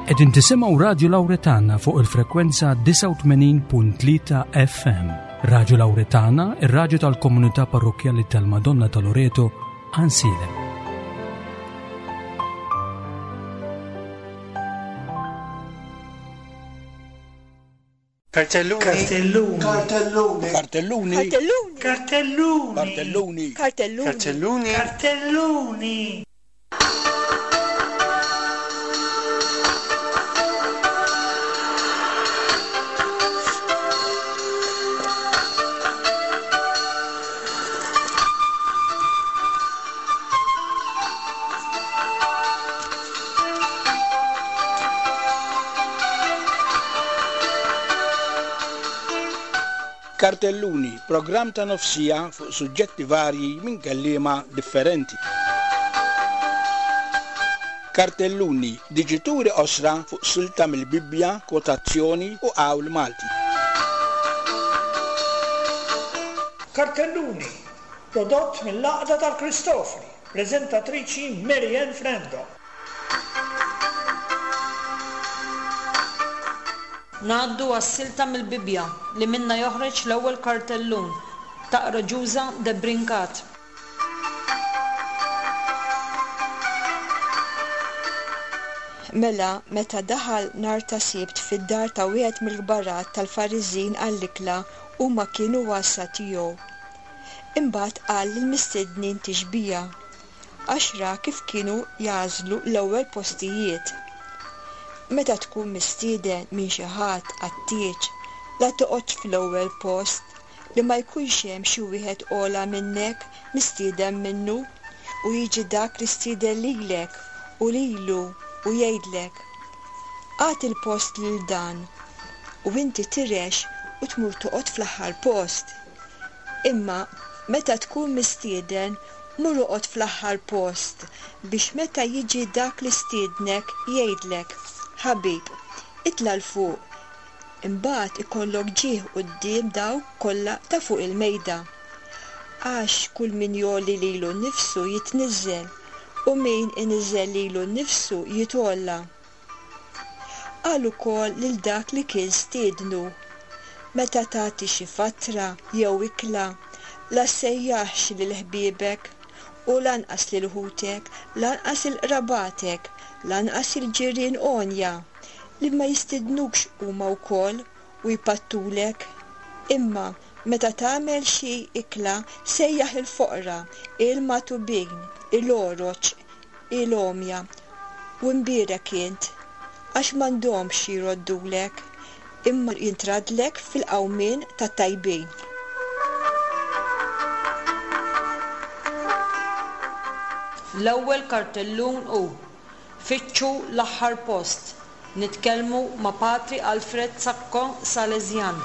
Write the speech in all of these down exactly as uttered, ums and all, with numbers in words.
Qegħdin tisimgħu Radju Lawretana fuq il-frekwenza disgħa u tmenin punt tlieta F M. Radju Lawretana, ir-radju tal-komunità parrokkjali tal-Madonna ta' Loreto, Għajnsielem. Kartelluni. Kartelluni. Kartelluni. Kartelluni. Kartelluni. Kartelluni. Kartelluni. Kartelluni. Kartelluni. Kartelluni. Kartelluni, programm ta' nofsija fuq suġġetti varji minn kelliema differenti. Kartelluni, diġituri osra fuq silta mill-Bibbja, kwotazzjoni u qawl Malti. Kartelluni, prodott mill-Għaqda tal-Kristofri, preżentatriċi Marianne Frendo. Ngħaddu għas-silta mill-Bibbja li minna joħroġ l-ewwel kartellun taqra Ġuża Debrincat. Mela, meta daħal nhar ta' Sibt fid-dar ta' wieħed mill-kbarat tal-Fariżin għall-ikla, huma kienu għassa tiegħu. Imbagħad qal lill-mistednin tixbija, għax ra kif kienu jagħżlu l-ewwel postijiet. Meta tkun mistieden minn xi ħadd għat-tieġ, la toqgħodx fl-ewwel post li ma jkunx hemm xi wieħed ogħla minnek mistieden minnu, u jiġi dak li stieden lilek u lilu u jgħidlek, Agħti l-post lil dan, u inti tirex u tmur toqgħod fl-aħħar post. Imma meta tkun mistieden, mur oqgħod fl-aħħar post biex meta jiġi dak li stiednek jgħidlek, Ħabib, itla' 'l fuq. Imbagħad ikollok ġieħ quddiem dawk kollha ta' fuq il-mejda. Għax kull min jgħolli lilu nnifsu jitniżżel, u min iniżżel lilu nnifsu jitgħolla. Qal ukoll lil dak li kien stiednu, Meta tagħti xi fatra jew ikla, la ssejjaħx lil ħbiebek u lanqas lil ħutek, lanqas il-qrabatek, lanqas il-ġirien għonja, li ma jistidnukx huma wkoll u jpattulek. Imma meta tagħmel xi ikla, sejjaħ il-foqra, il-matubin, il-oroġ, il-għomja, u mbierek int, għax m'għandhomx jroddulek, imma jintradlek fil-qawmien tat-tajbin. L-ewwel kartellun hu Fittxu l-aħħar post. Nitkellmu ma' Patri Alfred Sacco Salesian.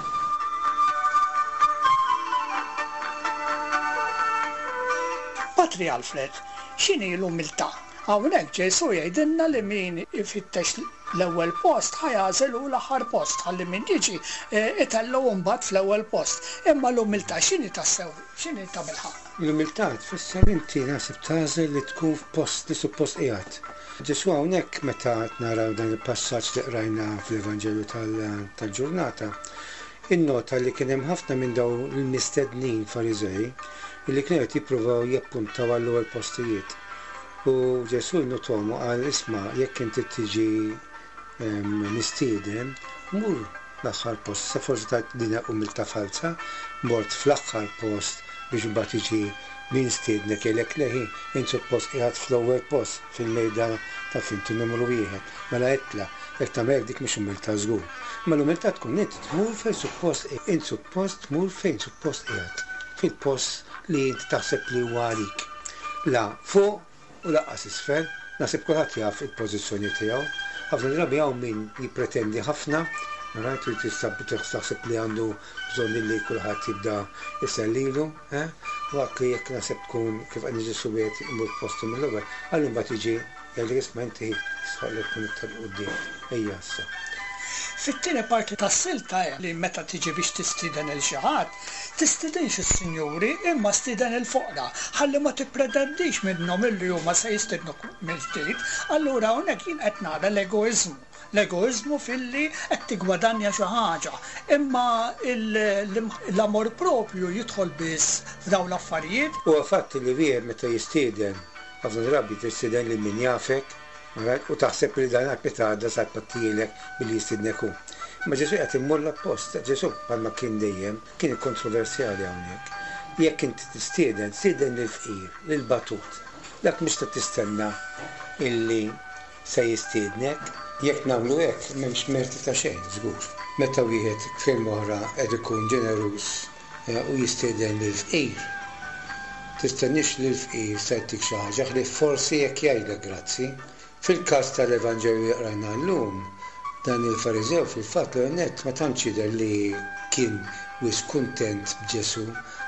Patri Alfred, x'inhi l-umiltà? Hawnhekk Ġesù jgħidilna li min ifittex l-ewwel post ħajagħżel hu l-aħħar post, ħalli min jiġi, eh, itellu mbagħad fl-ewwel post. Imma l-umiltà x'inhi tassew? X'inhi ta' bilħaqq? L-umiltà tfisser inti naħseb tagħżel li tkun f'post li suppost qiegħed. Ġesù hawnhekk meta naraw dan il-passaġġ li qrajna fl-Evanġelju tal-, tal-ġurnata, innota li kien hemm ħafna minn dawn il-mistednin Fariżej li kienu qed jippruvaw jappuntaw għall-ewwel postijiet. U Ġesù nnotom u qal, isma', jekk inti tiġi, ehm, mistieden, mur l-aħħar post. Sa forsi ta' din umiltà falsa, mort fl-aħħar post biex imbagħad jiġi min stiednek jgħidlek leħi, int suppost qiegħed fl-ewwel post fil-mejda ta' finti numru wieħed. Mela itla', jekk tagħmel hekk dik mhix umiltà żgur. Imma l-umiltà tkun int tmur fejn suppost, int suppost tmur fejn suppost qiegħed, fil-post li int taħseb li huwa għalik. La fuq u lanqas isfel, naħseb kulħadd jaf il-pożizzjoni tiegħu. Ħafna drabi hawn min jippretendi ħafna, rajt li tista' taħseb li għandu bżonn li kulħadd jibda jsellilu, eh? Waqt li jekk naħseb tkun kif qed Ġesù wieħed imur postu mill-ewwel, għallu mbagħad jiġi jgħidlek isma' inti jistħoq li tkun iktar quddiem. Ejja issa. Fit-tieni parti tas-silta hemm li meta tiġi biex tistieden il xi ħadd, tistidinx is-sinjuri imma stieden il-foqra, ħalli ma tippretendix minnhom illi huma se jistidnuk mill-ġdid. Allura hawnhekk jien qed nara l-egoiżmu. L-egoiżmu filli qed tigwadanja xi ħaġa. Imma l-amor propju jidħol biss f'dawn l-affarijiet. Huwa fatt li wieħed meta jistieden, ħafna drabi tistieden lil min jafek, u taħseb li dan għada sa jpattilek billi jistiednek hu. Ma Ġesù qed immur l-oppost, Ġesù bħalma kien dejjem, kien kontroversjali hawnhekk. Jekk inti tistieden, stieden lill-fqir, lill-batut. Dak mhux ta' tistenna illi se jistiednek. Jekk nagħmlu hekk m'hemmx merti ta' xejn, żgur. Meta wieħed f'kelma oħra qed ikun ġeneruż u jistieden lill-fqir, tistenniex li l-fqir se jtik xi ħaġa ħlief forsi jekk jgħidlek grazzi. Fil-każ tal-Evanġelju li qrajna llum, dan il-Fariżew fil-fatt l nett ma tantx jidher li kien wisq kuntent b'Ġesù,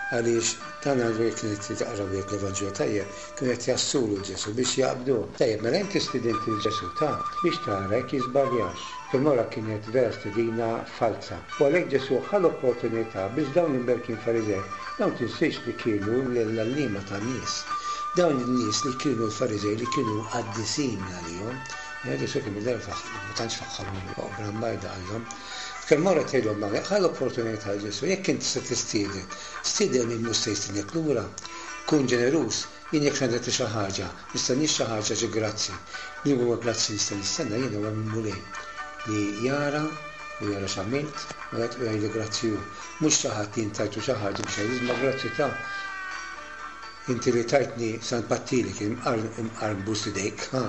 għaliex dan għandu jekk kienet taqra wieħed l-Evanġelju tajjeb, kienu qed jassulu Ġesù biex jaqbduh. Tajjeb, mela inti stidint lil Ġesù ta' biex tara jekk jiżbaljax. Fil-mora kienet vera stedina falsa. U għalhekk Ġesù ħa l-opportunità biex dawn l-imberkin Fariżej, dawn tinsiex li kienu l-għalliema tan-nies. Dawn in-nies li kienu l-Fariżej li kienu qaddisin għalihom, Ġesù kien mill-darba ma tantx faħħarhom oqbra mbajda għallhom. Kemm mora tgħidhom ma ħa l-opportunità Ġesù, jekk inti se tistieden, stieden min mhux se jistiednek lura, kun ġeneruż, jien jekk ngħidlek xi ħaġa, nistenniex xi ħaġa xi grazzi. Li huwa grazzi nista' nistenna jien huwa minn Mulej li jara u jara x'għamilt u qed jgħidli grazzi hu. Mhux xi ħadd jien tajtu xi ħaġa biex jgħid ma grazzi ta' inti li tajtni san pattili kien imqar nbus idejk, ha?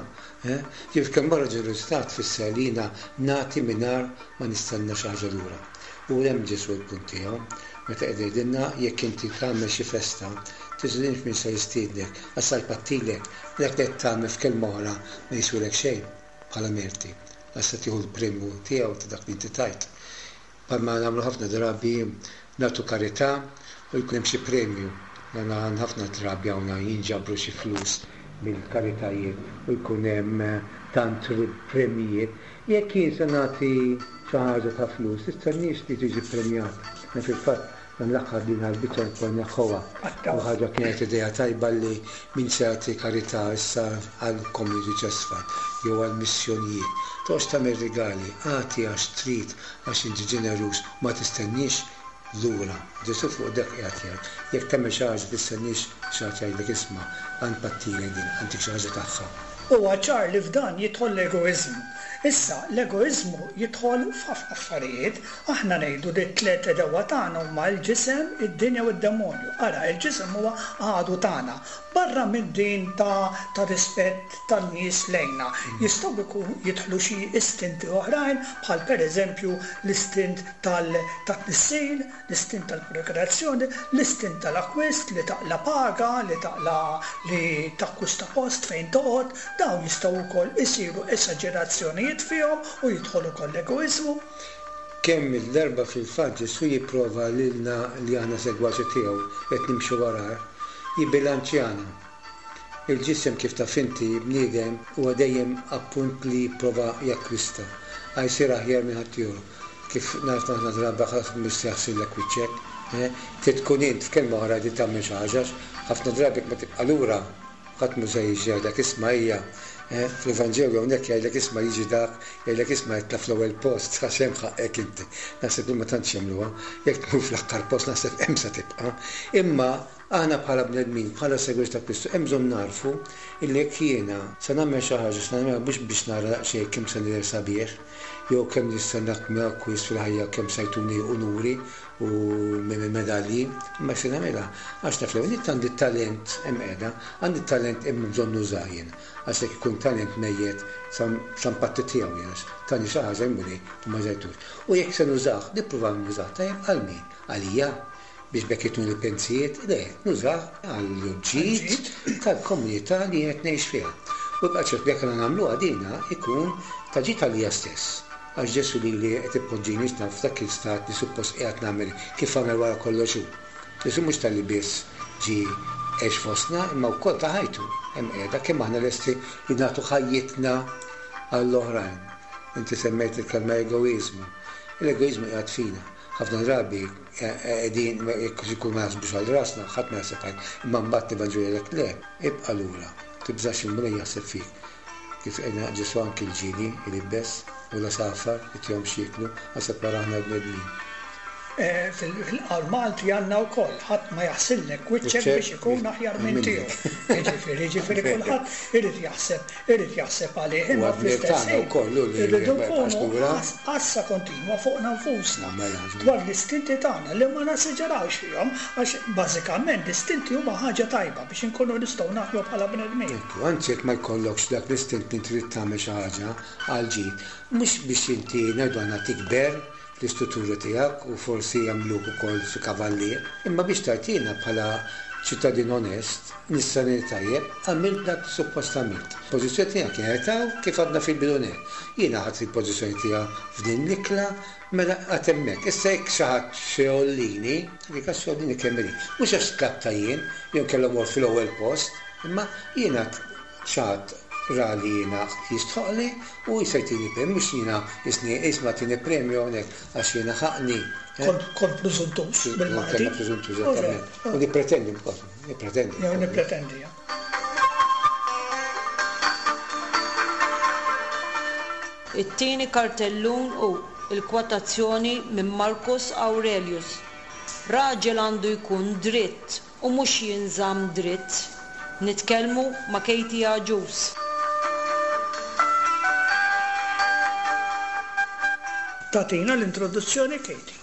Ġif kemm barra ġenerożità tfisser li jiena nagħti mingħajr ma nistenna xi ħaġa lura. U hemm Ġesù l-punt tiegħu, meta qed jgħidilna jekk inti tagħmel xi festa, tiżinx min se jistiednek, għax sa jpattilek, dak li qed tagħmel f'kelma oħra ma jiswilek xejn bħala merti, għax se tieħu l-premju tiegħu ta' dak li inti tajt. Bħalma nagħmlu ħafna drabi nagħtu karità u jkun hemm xi premju. Għana ħafna drabi hawn jinġabru xi flus mill-karitajiet u jkun hemm tant premjijiet. Jekk jien se nagħti xi ħaġa ta' flus, tistenniex li tiġi premjat. Na fil-fatt dan l-aħħar din għall-biċċa wkoll neħħuha. U ħaġa kienet idea tajba li min se jagħti karità issa għall Community Chest Fund jew għall missjonijiet. Toqgħodx tagħmel rigali, agħti għax trid, għax inti ġeneruż, ma tistenniex lura. Ġesù fuq dak qiegħed jgħid. Jekk tagħmel xi ħaġa tistenniex xi ħadd jgħidlek isma' għand pattilek din, għandek xi ħaġa tagħha. Huwa ċar li f'dan jidħol l-egoiżmu. Issa, l-egoiżmu jidħol f'ħafna affarijiet. Aħna ngħidu li t-tliet għedewwa tagħna huma l-ġisem, id-dinja u d-demonju. Ara, il-ġisem huwa għadu tagħna. Barra minn din ta', ta' rispett tan-nies lejna, jistgħu jkun jidħlu xi istinti oħrajn, bħal pereżempju l-istint tal-tnissil, l-istint tal-prokreazzjoni, l-istint tal-akkwist li taqla paga, li taqla li takkwista post fejn toqgħod. Dawn jistgħu wkoll isiru esaġerazzjonijiet fihom u jidħol ukoll l-egoiżmu. Kemm il-darba fil-fatt Ġesù jipprova lilna li aħna segwaċi tiegħu qed nimxu warah, jibbilanċjana. Il-ġisem kif taf inti bniedem huwa dejjem appunt li jipprova jakkwista, għal jsir aħjar minn ħaddieħor. Kif naf aħna drabi ħadd mhux se jaħsillek wiċċek, eh? Trid tkun int f'kelma oħra li tagħmel xi ħaġa, ħafna drabi ma tibqa' lura, ħadd mhu se jiġi jgħidlek isma' hija. Eh, fl-Evanġelju hawnhekk jgħidlek isma' jiġi dak, jgħidlek isma' jitla' fl-ewwel post, għax hemm ħaqek inti. Naħseb li ma tantx jagħmluha, jekk tmur fl-aħħar post naħseb hemm se tibqa'. Imma aħna bħala bnedmin, bħala segwaċi ta' Kristu, hemm bżonn narfu illi jekk jiena se nagħmel xi ħaġa, se nagħmilha mhux biex nara daqsxejn kemm se nidher sabiħ, jew kemm nista' nagħmel akkwist fil-ħajja, kemm se jtuni unuri u medalji, imma se nagħmilha għax naf li għandi talent hemm qiegħda, għandi talent hemm bżonn nużah jien. Għax jekk ikun talent mejjet sa mpatti tiegħu jien, għax tani xi ħaġa jmur u ma żejtux. U jekk se nużah, nipprova nużah tajjeb għal min? Għalija biex bekk jituni l-pensijiet, le, nużah għall-ġid tal-komunità li qed ngħix fiha. U jibqa' ċert li jekk aħna nagħmluha dina ikun ta' ġid għalija stess. Għax Ġesù li li qed ipoġġini naf f'dak il-stat li suppost qiegħed nagħmel kif għamel wara kollox hu. Ġesù mhux talli biss ġie għex fostna, imma wkoll ta' ħajtu. Hemm qiegħda kemm aħna lesti li nagħtu ħajjitna għall-oħrajn. Inti semmejt il-kelma egoiżmu. L-egoiżmu qiegħed fina. Ħafna drabi qegħdin jekk ikun ma jaħsbux għal rasna, ħadd ma jaħseb għal, imma mbagħad l-Evanġelju jgħidlek le, ibqa' lura, tibżax il-Mulej jaħseb fik. Kif għedna Ġesù anki l-ġili, il-ibbes. u l-għasafar, itihom x'jieklu, aħseb wara aħna l-bnedmin. Eh, Fil-qawl Malti għandna wkoll ħadd ma jaħsillek wiċċek Wiċċek biex ikun aħjar minn minnek. tiegħu. Jiġifieri, jiġifieri kulħadd irid jaħseb, irid jaħseb għalih, U imma għad-dmir fl-istess tagħna ħin wkoll hu li irridu ma jibqax nkunu lura. għas- għassa kontinwa fuqna nfusna Mela, żgur. dwar l-istinti tagħna li ma nesaġerawx fihom għax bażikament l-istinti huma ħaġa tajba biex inkunu nistgħu naħdmu bħala bnedmin. Ekku, anzi jekk ma jkollokx dak l-istint li trid tagħmel xi ħaġa għal ġid, mhux biex inti ngħidu għandna tikber fl-istruttura tiegħek u forsi jagħmluk ukoll xi kavallier, imma biex tagħtina bħala ċittadin onest, nisrani tajjeb, għamilt dak suppost għamilt. Pożizzjoni tiegħek kienet hawn kif għadna fil-bidu nett. Jiena ħadt il-pożizzjoni tiegħek f'din l-ikla, mela għad hemmhekk. Issa jekk xi ħadd xi jgħollini, dik għax jgħollini kemm irid. Mhux għax tlabta jien, jew kellhom mort fil-ewwel post, imma jiena xi ħadd ra li jiena jistħoqli u jista' jtini premju, mhux jiena jisni isma' tini premju hawnhekk għax jiena ħaqni. eh? Kont kont preżuntuż bil-Malti. Konna preżuntuż, eżattament. U nippretendi wkoll, nippretendi. Jew nippretendi. ja. It-tieni kartellun hu il-kwotazzjoni minn Marcus Aurelius. Raġel għandu jkun dritt u mhux jinżamm dritt. Nitkellmu ma' Katie Agius. Tagħtina l-introduzzjoni Katie.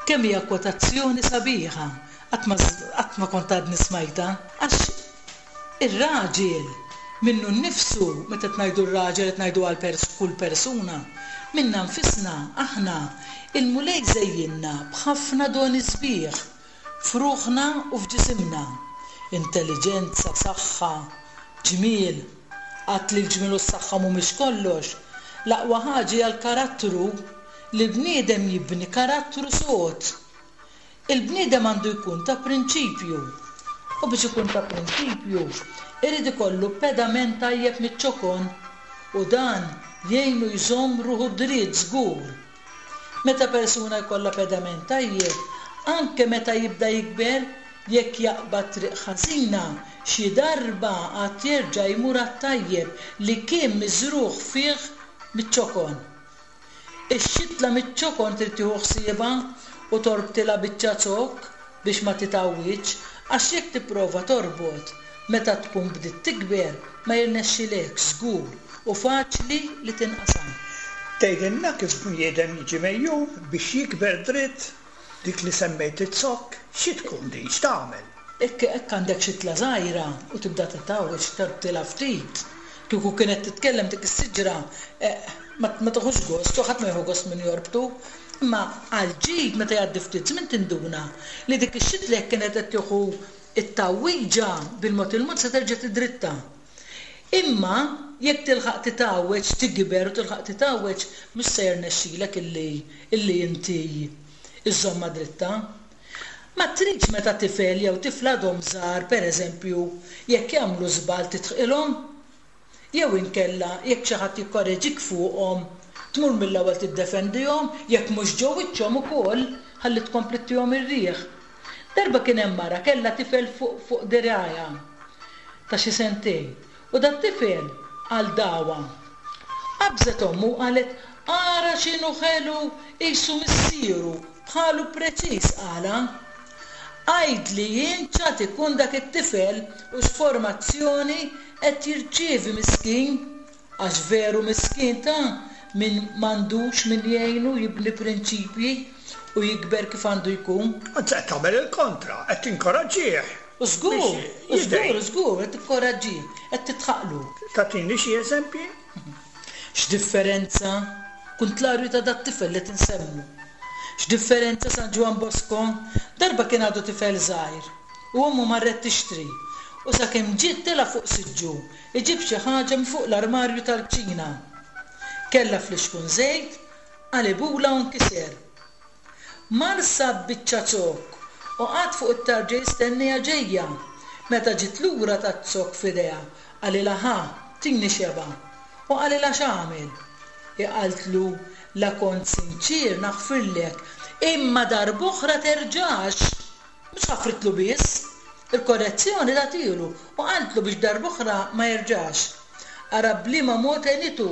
Kemm hija kwotazzjoni sabiħa, qatt ma qatt ma kont għadni smajta, għax ir-raġel minnu nnifsu, meta qed ngħidu r-raġel qed ngħidu għal pers-, kull persuna, minna nfisna aħna il-Mulej żejjinna b'ħafna doni sbieħ f'ruħna u f'ġisimna. Intelligenza, saħħa, ġmiel, għad li l-ġmiel u s-saħħa mhumiex kollox. L-aqwa ħaġa hija l-karattru, li l-bniedem jibni karattru sod. Il-bniedem għandu jkun ta' prinċipju. U biex ikun ta' prinċipju, irid ikollu pedament tajjeb miċ-ċokon u dan jgħinu jżomm ruħu dritt żgur. Meta persuna jkollha pedament tajjeb, anke meta jibda jikber, jekk jaqbad triq ħażina, xi darba għad jerġa' jmur għat-tajjeb li kien miżrugħ fih miċ-ċokon. Ix-xitla miċ-ċokon trid tieħu ħsiebha u torbtilha biċċa zokk biex ma titgħawwiġx, għax jekk tipprova torbot meta tkun bdiet tikber ma jirnexxilekx żgur u faċli li tinqasam. Tgħidilna kif bniedem jiġi mejjun biex jikber dritt, dik li semmejt iz-zokk, xi tkun din, x'tagħmel? Hekk hekk għandek xitla żgħira u tibda titgħawweġ torbtilha ftit. Kieku kienet titkellem dik is-siġra, eh, ma, ma tieħux gost, u ħadd ma jieħu gost min jorbtu. Imma għal ġid meta jgħaddi ftit żmien tinduna li dik ix-xitla jekk kienet qed tieħu it-tgħawwiġa bil-mod il-mod se terġa' tidritta. Imma jekk tilħaq titgħawweġ, tikber u tilħaq titgħawweġ, mhux se jirnexxilek illi, illi inti iżżommha dritta. Ma tridx meta tifel jew tifla għadhom żgħar, pereżempju, jekk jagħmlu żball titħqilhom, jew inkella jekk xi ħadd jikkoreġik fuqhom, tmur mill-ewwel tiddefendihom, jekk mhux ġo wiċċhom ukoll, ħalli tkompli ttihom ir-riħ. Darba kien hemm mara kellha tifel fuq, fuq dirgħajha ta' xi sentejn, u dat tifel għal dawa. Qabżet ommu u qalet, ara x'inhu ħelu qisu missieru, bħalu preċiż qala. Għidli jien x'għad ikun dak it-tifel u x'formazzjoni qed jirċievi miskin, għax veru miskin ta' min m'għandux min jgħinu jibni prinċipji u jikber kif għandu jkun. Anzi qed tagħmel il-kontra, qed tinkoraġġih. U żgur, Biex u żgur, jidgħi. żgur, qed tikkoraġġih, qed titħaqlu. Tagħtini xi eżempji? X'differenza, kuntlarju ta' dat tifel li tinsemmu. X'differenza San Ġwann Bosco, darba kien għadu tifel żgħir u ommu marret tixtri u sakemm ġiet tela' fuq siġġu iġib xi ħaġa minn fuq l-armarju tal-kċina. Kellha flixkun żejt, qalibula u nkiser. Mar sab biċċa zokk u qagħad fuq it-tarġa jistenniha ġejja. Meta ġiet lura taz-zokk f'idejha, qalilha ħa, tini xeba'. U qalilha x'għamel? Iqaltlu, la kont sinċir naħfirlek, imma darb'oħra terġax. Mhux ħafritlu biss, il-korrezzjoni tagħtilu u qaltlu biex darb'oħra ma jerġax. Ara b'liema mod għenitu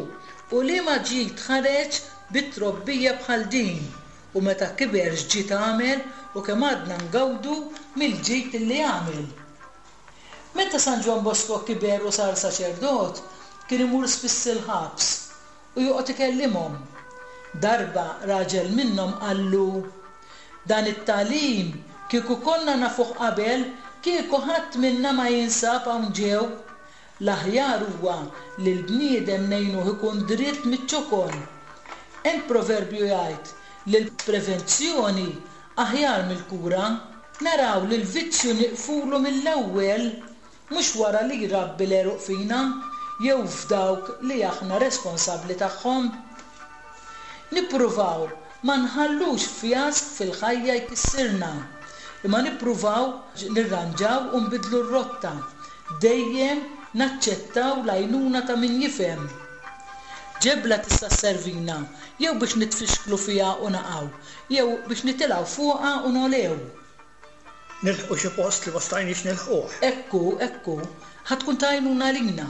U liema ġid ħareġ bi trobbija bħal din, u meta kiber x'ġid għamel u kemm għadna ngawdu mill-ġid li għamel. Meta San Ġwann Bosco kiber u sar saċerdot, kien imur spiss il-ħabs u joqgħod ikellimhom. Darba raġel minnhom qallu, Dan it-tagħlim kieku konna nafuh qabel, kieku ħadd minna ma jinsab hawn ġew. L-aħjar huwa li l-bniedem ngħinuh ikun dritt miċ-ċokon. Hemm proverbju jgħid li l-prevenzjoni aħjar mill-kura. Naraw li l-vizzju niqfulu mill-ewwel, mhux wara li jrabbi l-għeruq fina jew f'dawk li aħna responsabbli tagħhom. Nippruvaw ma nħallux fjask fil-ħajja jkissirna, imma nippruvaw nirranġaw u nbiddlu r-rotta, dejjem naċċettaw l-għajnuna ta' min jifhem. Ġebla tista' sservina jew biex nitfixklu fiha u naqgħu, jew biex nitilgħu fuqha u nogħlew. Nilħqu xi post li ma stajniex nilħquh. Ekku, ekku, ħa tkun ta' għajnuna għalina.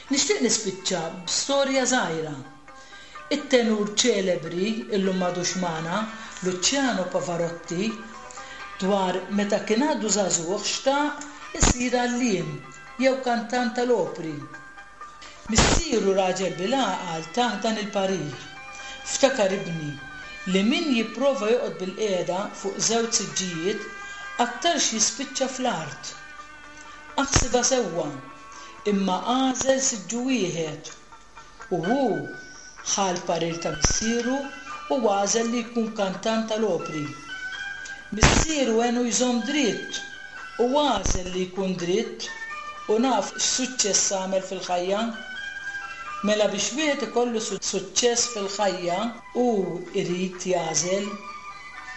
Nixtieq nispiċċa b'storja żgħira. It-tenur ċelebri, illum m'għadux magħna, Luciano Pavarotti, dwar meta kien għadu żagħżugħ xtaq isir għalliem jew kantant tal-opri. Missieru raġel bil-għaqal tah dan il-parir. Ftakar ibni li min jipprova joqgħod bil-qiegħda fuq żewġ siġġijiet aktarx jispiċċa fl-art. Aħsibha sewwa, imma għażel siġġu wieħed. U hu ħa l-parir ta' missieru u għażel li jkun kantant tal-opri. Missieru għenu jżomm dritt u għażel li jkun dritt u naf x'suċċess għamel fil-ħajja. Mela biex wieħed ikollu suċċess fil-ħajja hu jrid jagħżel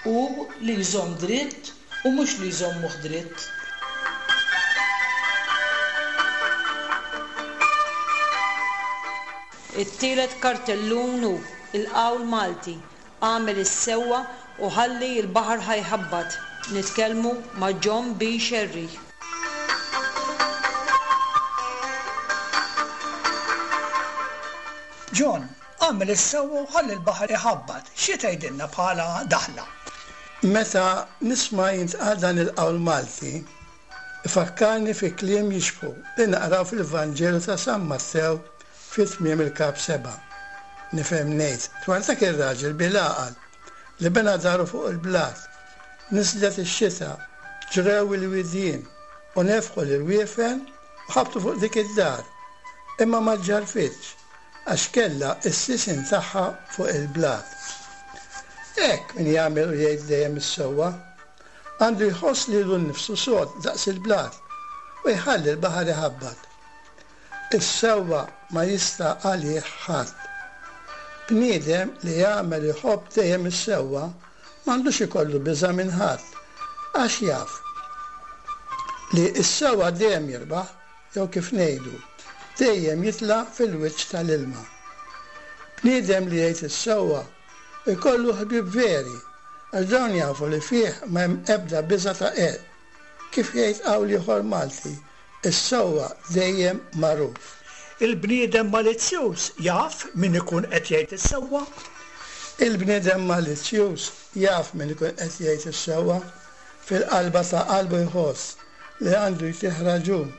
hu li jżomm dritt u mhux li jżommuh dritt. It-tielet kartellun hu il-qawl Malti, għamel is-sewwa u ħalli l-baħar ħa jħabbat. Nitkellmu ma' John B. Scerri. John, għamel is-sewwa u ħalli l-baħar iħabbat. Xi tgħidilna bħala daħla? Meta nisma' jintqal dan il-qawl Malti, ifakkarni fi kliem jixbħu li naqraw fil-Vanġelu ta' San Mattew fi tmiem il-kap seba'. Nifhem ngħid dwar dak ir-raġel bil-għaqal li bena daru fuq il-blat, niżlet ix-xita, ġrew il-widien u nefħu l-irwiefen u ħabtu fuq dik id-dar, imma ma ġġarfitx għax kellha s-sisien tagħha fuq il-blat. Hekk min jagħmel u jgħid dejjem is-sewwa, għandu jħoss lilu nnifsu sod daqs il-blat u jħalli l-baħar iħabbat. Is-sewwa ma jista' għalih ħadd. Bniedem li jagħmel iħobb dejjem is-sewwa m'għandux ikollu biża' minn ħadd, għax jaf li s-sewwa dejjem jirbaħ, jew kif ngħidu, dejjem jitla' fil-wiċċ tal-ilma. Bniedem li jgħid is-sewwa ikollu ħbieb veri, għax dawn jafu li fih ma hemm ebda biża' ta' qerq. Kif jgħid qawl ieħor Malti, is-sewwa dejjem magħruf. Il-bniedem malizzjuż jaf min ikun qed jgħid is-sewwa? Il-bniedem malizzjuż jaf min ikun qed jgħid is-sewwa, fil-qalba ta' qalbu jħoss li għandu jtih raġun,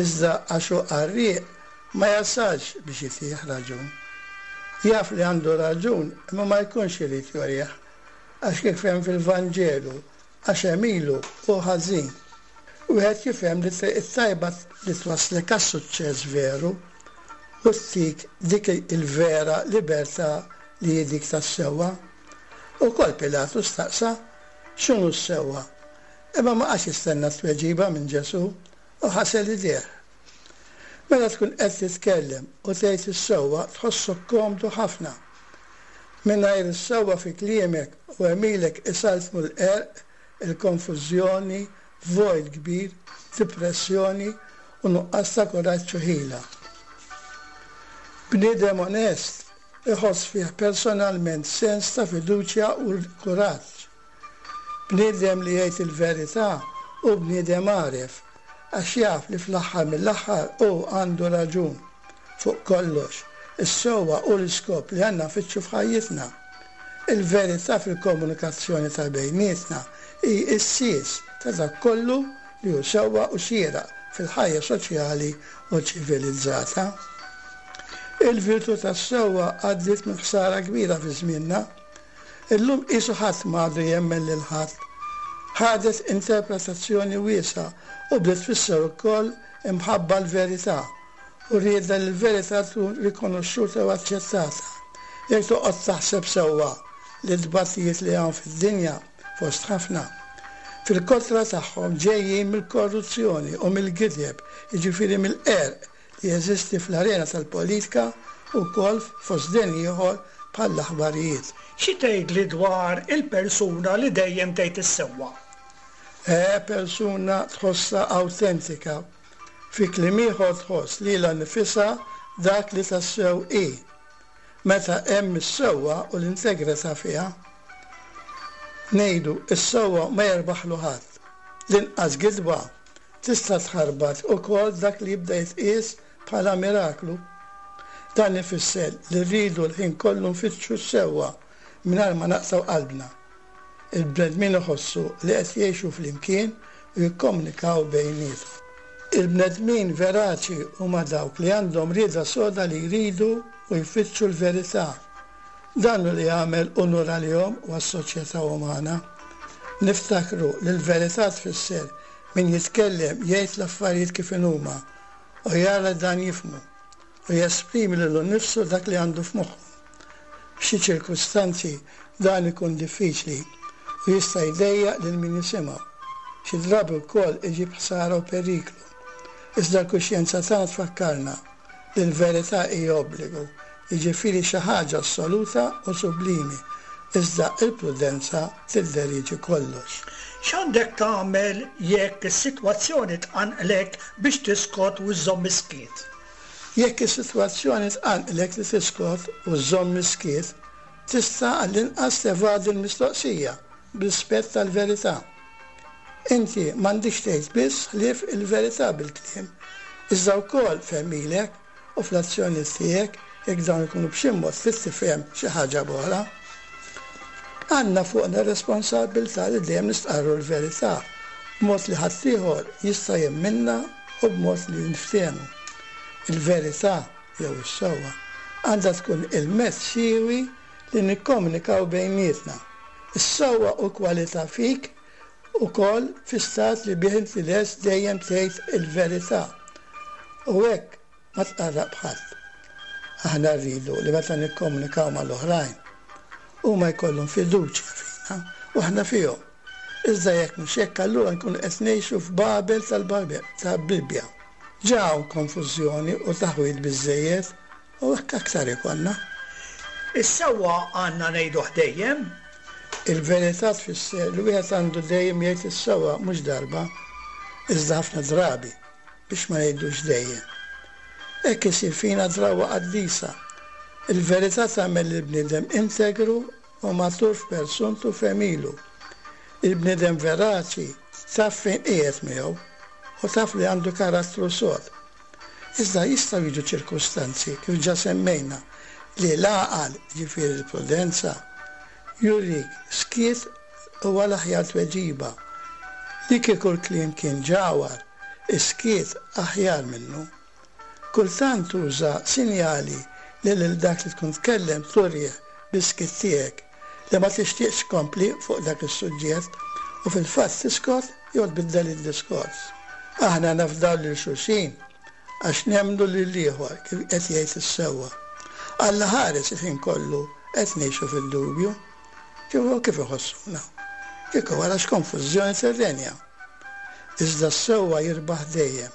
iżda għax hu qarrieq ma jasalx biex jtih raġun. Jaf li għandu raġun imma ma jkunx irid jorih, għax kif hemm fil-Vanġelu, għax għemilu hu ħażin. Wieħed jifhem li triq it-tajba li twaslek għas-suċċess veru u ttik dik il-vera libertà li hi dik tas-sewwa. Ukoll Pilatu staqsa x'inhu s-sewwa, imma ma qagħadx jistenna t-tweġiba minn Ġesù u ħasel idejh. Meta tkun qed titkellem u tgħid is-sewwa tħossok komdu ħafna. Mingħajr is-sewwa fi kliemek u għemilek isaltnu l-qerq, il-konfużjoni, vojt kbir, depressjoni u nuqqas ta' kuraġġ u ħila. Bniedem onest iħoss fih personalment sens ta' fiduċja u kuraġġ. Bniedem li jgħid il-verità u bniedem għaref, għax jaf li fl-aħħar mill-aħħar hu għandu raġun fuq kollox, Is-sewwa hu l-iskop li għandna nfittxu f'ħajjitna. Il-verità fil-komunikazzjoni ta' bejnietna hi s-sies ta' dak kollu li hu sewwa u xieraq fil-ħajja soċjali u ċivilizzata. Il-virtù tas-sewwa għaddiet minn ħsara kbira fi żmienna. Illum qisu ħadd m'għadu jemmen lil ħadd. Ħadet interpretazzjoni wiesgħa u bdiet tfisser ukoll imħabba l-verità u rieda li l-verità tkun rikonoxxuta u aċċettata. Jekk toqgħod taħseb sewwa li t-tbatijiet li hawn fid-dinja fost ħafna, fil-kotra tagħhom ġejjin mill-korruzzjoni u mill-gideb, jiġifieri mill-qerq li jeżisti fl-arena tal-politika u wkoll fost den ieħor bħall-aħbarijiet. Xi tgħidli dwar il-persuna li dejjem tgħid is-sewwa? Eh, persuna tħossha awtentika. Fi kliem ieħor tħoss lilha nnifisha dak li tassew hi. Meta hemm is-sewwa u l-integrità fiha. Ngħidu is-sewwa ma jerbaħlu ħadd. L-inqas gidba tista' tħarbat ukoll dak li jibda jitqies bħala miraklu. Dan ifisser li rridu l-ħin kollu nfittxu s-sewwa mingħajr ma naqtgħu qalbna. Il-bnedmin iħossu li qed jgħixu flimkien u jikkomunikaw bejniethom. Il-bnedmin veraċi huma dawk li għandhom rieda soda li jridu u jfittxu l-verità. Dan hu li jagħmel unur għalihom u għas-soċjetà umana. Niftakru li l-verità tfisser min jitkellem jgħid l-affarijiet kif inhuma u jara dan jifhmu u jesprimi lilu nnifsu dak li għandu f'moħħu. F'xi ċirkustanzi dan ikun diffiċli u jista' jdejjaq lil min jisimgħu. Xi drabi wkoll iġib ħsara u periklu. Iżda l-kuxjenza tagħna tfakkarna li l-verità hija obbligu, jiġifieri xi ħaġa assoluta u sublimi, iżda l-prudenza tidderieġi kollox. X'għandek tagħmel jekk is-sitwazzjoni tqanqlek biex tiskot u żżomm is-skiet? Jekk is-sitwazzjoni tqanqlek li tiskot u żżomm is-skiet, tista' għall-inqas tevadi l-mistoqsija b'rispett tal-verità. Inti m'għandekx tgħid biss ħlief il-verità bil-kliem, iżda wkoll f'għemilek u fl-azzjonijiet tiegħek jekk dawn ikunu b'xi mod trid tifhem xi ħaġa b'oħra. Għandna fuqna r-responsabbiltà li dejjem nistqarru l-verità b'mod li ħaddieħor jista' jemminna u b'mod li niftehmu. Il-verità jew is-sewwa għandha tkun il-mezz siewi li nikkomunikaw bejnietna. Is-sewwa u kwalità fik ukoll fi stat li bih inti lest dejjem tgħid il-verità. U hekk ma tqarraq b'ħadd. Aħna rridu li meta nikkomunikaw mal-oħrajn huma jkollhom fiduċja fina u aħna fihom. Iżda jekk mhux hekk allura nkunu qed ngħixu f'Babel tal-Babel ta' Bibbja. Ġa hawn konfużjoni u taħwid biżżejjed u hekk aktar ikollna. Is-sewwa għandna ngħiduh dejjem? Il-verità tfisser li wieħed għandu dejjem jgħid is-sewwa mhux darba, iżda ħafna drabi biex ma ngħidux dejjem. Hekk isir fina drawwa qaddisa. Il-verità tagħmel lill-bniedem integru u matur f'persuntu f'għemilu. Il-bniedem veraċi taf fejn qiegħed miegħu u taf li għandu karattru sod. Iżda jistgħu jiġu ċirkustanzi kif ġa semmejna li l-għaqal, ġifieri l-prudenza, jurik skiet huwa l-aħjar tweġiba. Li kieku l-kliem kien ġawhar, is-skiet aħjar minnu. Kultant tuża sinjali li lil dak li tkun tkellem turih bis-skiet tiegħek li ma tixtieqx tkompli fuq dak is-suġġett u fil-fatt tiskot jew tbiddel id-diskors. Aħna nafdaw lil xulxin għax nemmnu lil ieħor kif qed jgħid is-sewwa. Alla ħares il-ħin kollu qed ngħixu fid-dubju. Kif kif iħossuna? Kieku wara x'konfużjoni tirrenja. Iżda s-sewwa jirbaħ dejjem.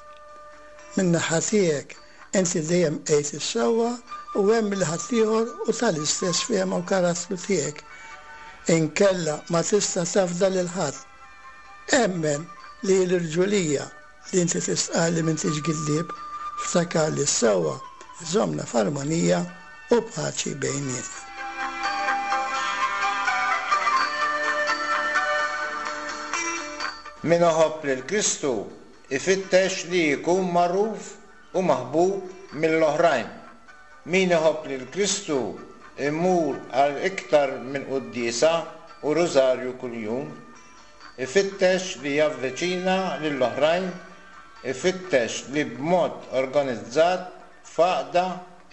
Min-naħa tiegħek inti dejjem għidt is-sewwa u hemm li ħaddieħor u tal-istess fehma u karattru tiegħek. Inkella ma tista' tafda lil ħadd. Emmen li l-irġulija li inti tistqar li m'intix giddieb, ftakar li s-sewwa żommna f'armonija u paċi bejnietna. Min iħobb lil Kristu ifittex li jkun magħruf u maħbub mill-oħrajn. Min iħobb lil Kristu imur għal iktar minn quddiesa u rużarju kuljum, ifittex li javviċina lill-oħrajn, ifittex li b'mod organizzat f'għaqda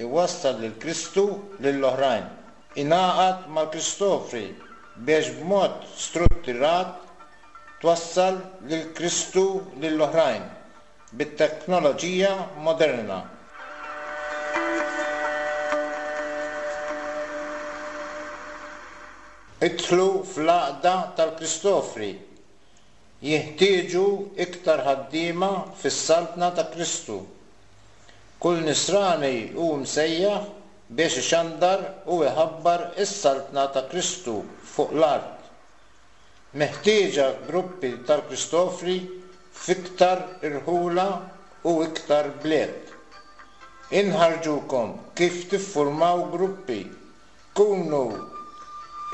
iwassal lil Kristu lill-oħrajn. Ingħaqad mal-Kristofri biex b'mod strutturat twassal lil Kristu lill-oħrajn bit-teknoloġija moderna. Idħlu fl-għaqda tal-Kristofri. Jeħtieġu iktar ħaddiema fis-saltna ta' Kristu. Kull nisrani hu msejjaħ biex ixandar u iħabbar is-saltna ta' Kristu fuq l-art. Meħtieġa gruppi tal-Kristofri f'iktar irħula u iktar bliet. Inħarġukom kif tiffurmaw gruppi. Kunu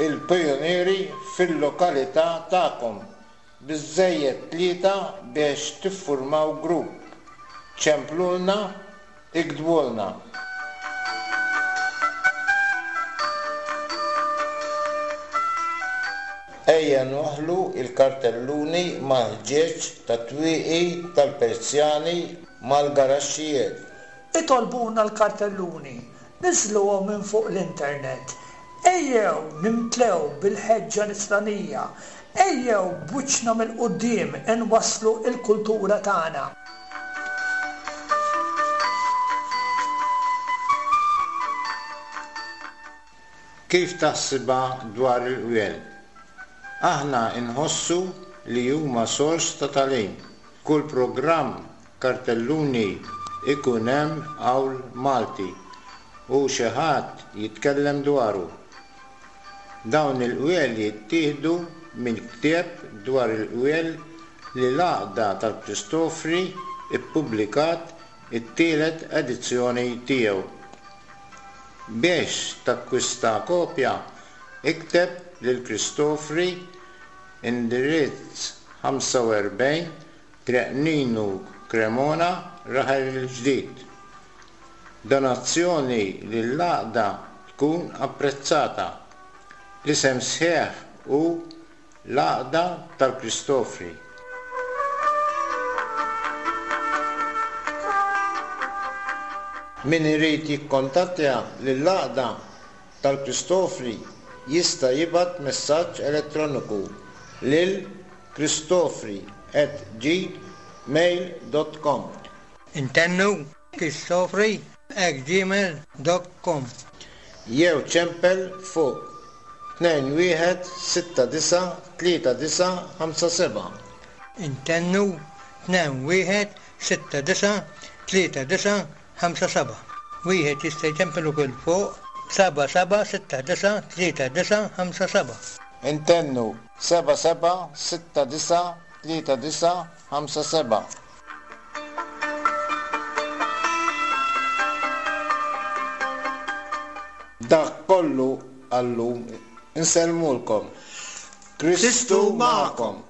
il-pijunieri fil-lokalità tagħkom. Biżżejjed tlieta biex tiffurmaw grupp. Ċemplulna, iktbulna. Ejja nwaħħlu il-kartelluni mal-ħġieġ tat-twieqi tal-Persjani mal-garaxxijiet. Itolbuna l-kartelluni, niżluhom minn fuq l-internet. Ejjew nimtlew bil-ħeġġa nisranija. Ejjew b'wiċċna mill-quddiem inwasslu l-kultura tagħna. Kif taħsibha dwar il-qwiel? Aħna nħossu li huma sors ta' tagħlim. Kull programm kartelluni ikun hemm qawl Malti u xi ħadd jitkellem dwaru. Dawn il-qwiel jittieħdu minn ktieb dwar il-qwiel li l-għaqda tal-Kristofri ippubblikat it-tielet edizzjoni tiegħu. Biex takkwista kopja, ikteb lil Kristofri indirizz ħamsa u erbgħin Triq Ninu Cremona, Raħal il-Ġdid. Donazzjoni lill-għaqda tkun apprezzata. L-isem sħiħ hu l-Għaqda tal-Kristofri. Min irid jikkontattja lill-Għaqda tal-Kristofri jista' jibgħat messaġġ elettroniku lil kristofri at gmail dot com. Intennu kristofri at gmail dot com. Jew ċempel fuq tnejn wieħed sitta disa' tlieta disa' ħamsa seba'. Intennu tnejn wieħed sitta disa' tlieta disa' ħamsa seba'. Wieħed jista' jċempel ukoll fuq seba' seba' sitta disa' tlieta disa' ħamsa seba'. Intennu seba' seba' sitta disa' tlieta disa' ħamsa seba'. Dak kollu għallum insellmulkom. Kristu magħkom.